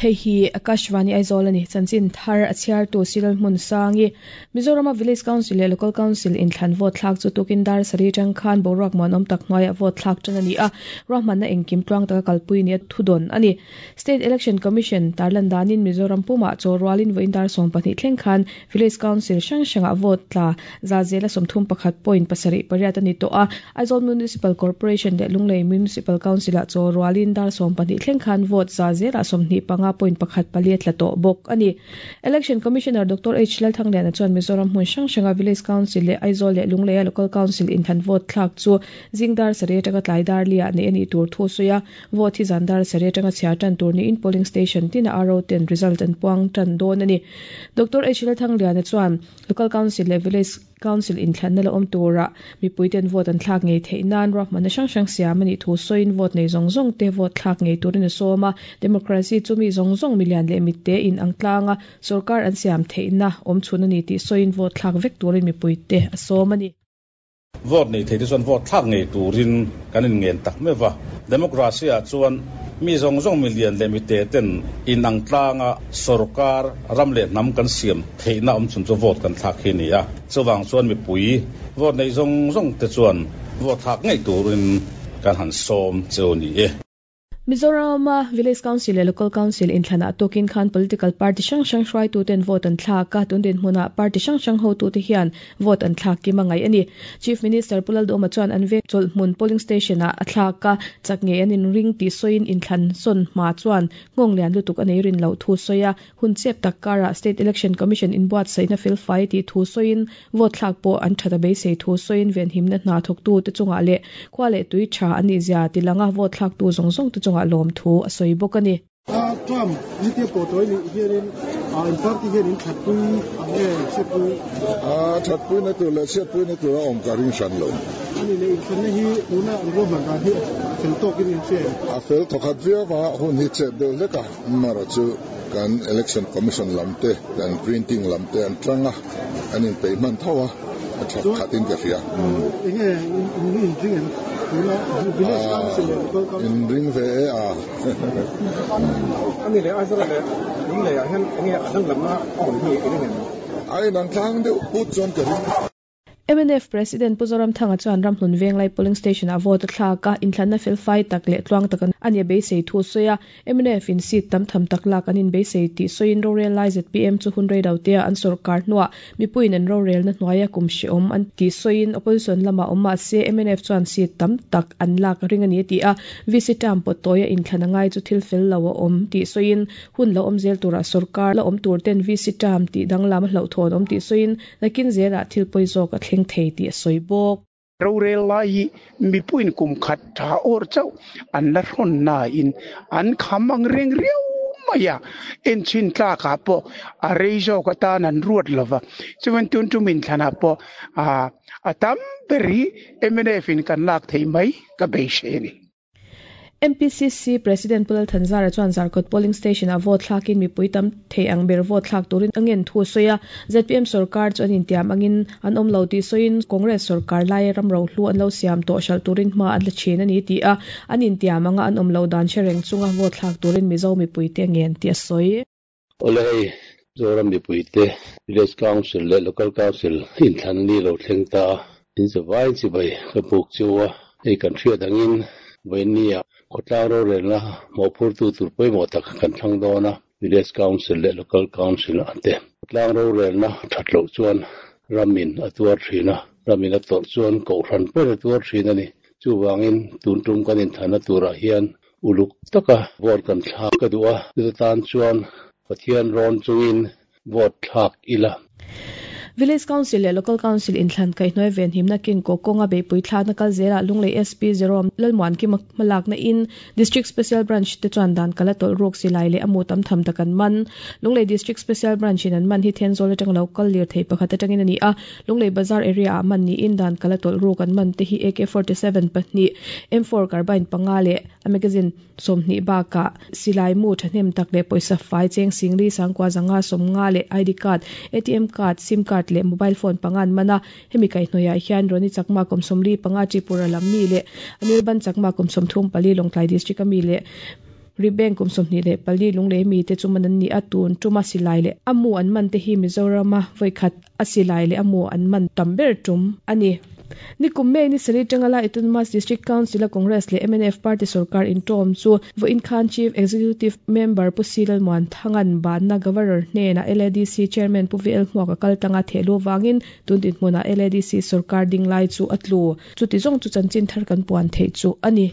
Hei hi Akashvani Aizawl a ni. Chanchin thar a chhiartu Silal Hmunsangi. Mizorama Village Council leh Local Council inthlan vote thlak chu tukin dar sarih atang khan boruak muanawm tak hnuaiah vote thlak tan a ni a, ruahmanna engkim tluang taka kalpui nia thudawn a ni. State Election Commission tarlan danin Mizoram pumah chaw rualin vawiin dar 12 thleng khan Village Council hrang hrangah vote tla za zela 31 point pasarih pariat a ni tawh a, Aizawl Municipal Corporation leh Lunglei Municipal Council-ah chaw rualin dar 12 thleng khan vote za zelah 25 point pakhat pali a tla tawh bawk a ni. Election Commissioner Doctor H Lalthangliana chuan Mizoram hmun hrang hranga Village Council leh Aizawl leh Lungleia Local Council inthlan vote thlak chu zing dar sarih atanga tlai dar liah neih a nih tur thu a sawi a, Vote hi zan dar sarih atanga chhiar tan tur niin polling station tinah RO ten result an puang tan dawn a ni. Doctor H Lalthangliana chuan Local Council leh Village Council inthlanna la awm turah mipui ten vote an thlak ngei theih nan ruahmanna hrang hrang siam a nih thu sawiin vote nei zawng zawng te vote thlak ngei turin a sawm a. Democracy chu mi zawng zawng milian leh mitte in ang tlanga sorkar an siam theihna awm chhun a ni tih sawiin vote thlak vek turin mipui te a sawm a ni. Vote nei theite chuan vote thlak ngei turin kan inngen tak meuh va. Democracy-ah chuan mi zawng zawng milian leh mite ten inang tlanga sorkar, ram leh hnam kan siam theihna awm chhun chu vote kan thlak hi a ni a. Chuvang chuan mipui vote nei zawng zawng te chuan vote thlak ngei turin kan han sawm che u ni e. Mizorama Village Council leh Local Council inthlanah tukin khan political party hrang hrang hruaituten vote an thlak a, tun dinhmunah party hrang hrang hotute hian vote an thlak kim a ngaih a ni. Chief Minister Pu Lalduhoma chuan an veng chawlhhmun polling station-ah a thlak a, chak ngei an inring tih sawiin inthlan sawn hma chuan nghawng lian lutuk a nei rin loh thu sawi a, hun chep tak karah State Election Commission inbuatsaihna felfai tih thu sawiin Vote thlak pawh an that a beisei thu sawiin venhimna hna thawktute chungah leh khua leh tui tha an nih zia ti langa vote thlaktu zawng zawngte chungah lawmthu a sawi bawk a ni. Trump ni te pawh tawi nih hianin in party hian in thatpui ang nge chhiatpui? Thatpuina tur leh chhiatpuina tur a awm ka ring hran lo. Ani leh inthlanna hi tuna an ruahman dan hi a fel tawkin in hria em? A fel thawkhat viau a, hun hi chep deuh hlek a, amaherawh chu kan Election Commission lam te, kan printing lam te an tlang a, an inpeih hman tho a, a that khat in ka hria. Enge in inring em? Tuna village council leh local council. Inring ve e a. Ani leh Aizawl leh Lunglei ah hian enge a danglamna a awm hi i ring em? A inang tlang deuh put chuan ka ring. Mnf President Pu Zoramthanga chuan Ramhlun Venglai Polling Station-ah vote a thlak a, inthlanna felfai tak leh tluang tak a nih a beisei thu a sawi a. Mnf in seat tam tham tak lak an inbeisei tih sawiin rorel lai zpm chu hun rei lo tea an sawrkar hnuah mipuiin an rorelna hnuaia kum hrehawm an tih sawiin opposition lamah awm mah se mnf chuan seat tam tak an lak a ring a ni a ti a. VC term pawt tawia inthlan a ngai chu thil fel lo a awm tih sawiin hun lo awm zel turah sawrkar la awm tur ten VC term tih danglam a hlauhthawn awm tih sawiin Nakin zelah thil pawi zawk a thleng thei tih a sawi bawk. Rorel lai hi mipuiin kum khat tha awr chauh an la hrawn nain an kham ang reng riau mai a, enchhin tlakah pawh a rei zawk atan an ruat lo va. Chuan tun tum inthlanah pawh a tam ber hi mnf in kan lak theih mai ka beisei a ni. MPCC President Pu Lalthanzara chuan Zarkawt Polling Station-ah vote thlakin mipui tam thei ang ber vote thlak turin a ngen thu a sawi a. Zpm sorkar chu an intiam angin an awm lo tih sawiin Congress sorkar laia ram rohlu an lo siam tawh hralh turin hma an la thin a ni tih a, an intiam anga an awm loh dan hre reng chunga vote thlak turin Mizo mipuite a ngen tih a sawi. Awle hei, Zoram mipuite Village Council leh Local Council inthlan ni lo thleng ta a, in zavai chibai ka buk chu a, hei kan hriat angin vawiinnia khawtlang rorelna mawhphurtu tur pawimawh tak kan thlang dawn a, Village Council leh Local Council ah te khawtlang rorelna that loh chuan ramin a tuar thin a, ramin a tawrh chuan kohhran pawhin a tuar thin a ni. Chuvangin tun tum kan inthlanna turah hian Uluk taka vote kan thlak ka duh a, chuta tan chuan Pathian rawn chungin vote thlak ila. Village Council leh Local Council inthlan kaihhnuai venhimna kengkaw kawnga beihpui thlakna kal zelah Lunglei SP Jerome Lalmuankima hmalakna in District Special Branch te chuan dan kal a tawlh ruk silai leh a mu tam tham tak an man. Lunglei District Special Branch in an man hi Thenzawl atanga lo kal lirthei pakhat atangin a ni a, Lunglei Bazar area ah man niin dan kal a tawlh ruk an man te hi AK-47 pahnih, M4 carbine panga leh a magazine 20 bakah silai mu thahnem tak leh pawisa fai cheng singli sangkua zanga 50 leh ID card, ATM card, sim card leh mobile phone panga an man a. Hemi kaihhnawih ah hian Roni Chakma kum 45 Tripura lam mi leh Anirban Chakma kum 34 Lawngtlai district a mi leh. Ribeng kum 24 Lunglei mi te chu man an ni a, tun tuma silai leh a mu an man te hi Mizorama vawi khat a silai leh a mu an man tam ber tum a ni. Nikum May ni sarih tanga la Autonomous District Council a Congress leh mnf party sorkar intawm chu vawiin khan Chief Executive Member Pu C Lalmuanthanga'n banna Governor hnenah LADC Chairman Pu VL Hmuaka kal tanga thehlu vangin tun dinhmunah LADC sorkar ding lai chu a tlu. Chuti zawng chu chanchin thar kan puan theih chu a ni.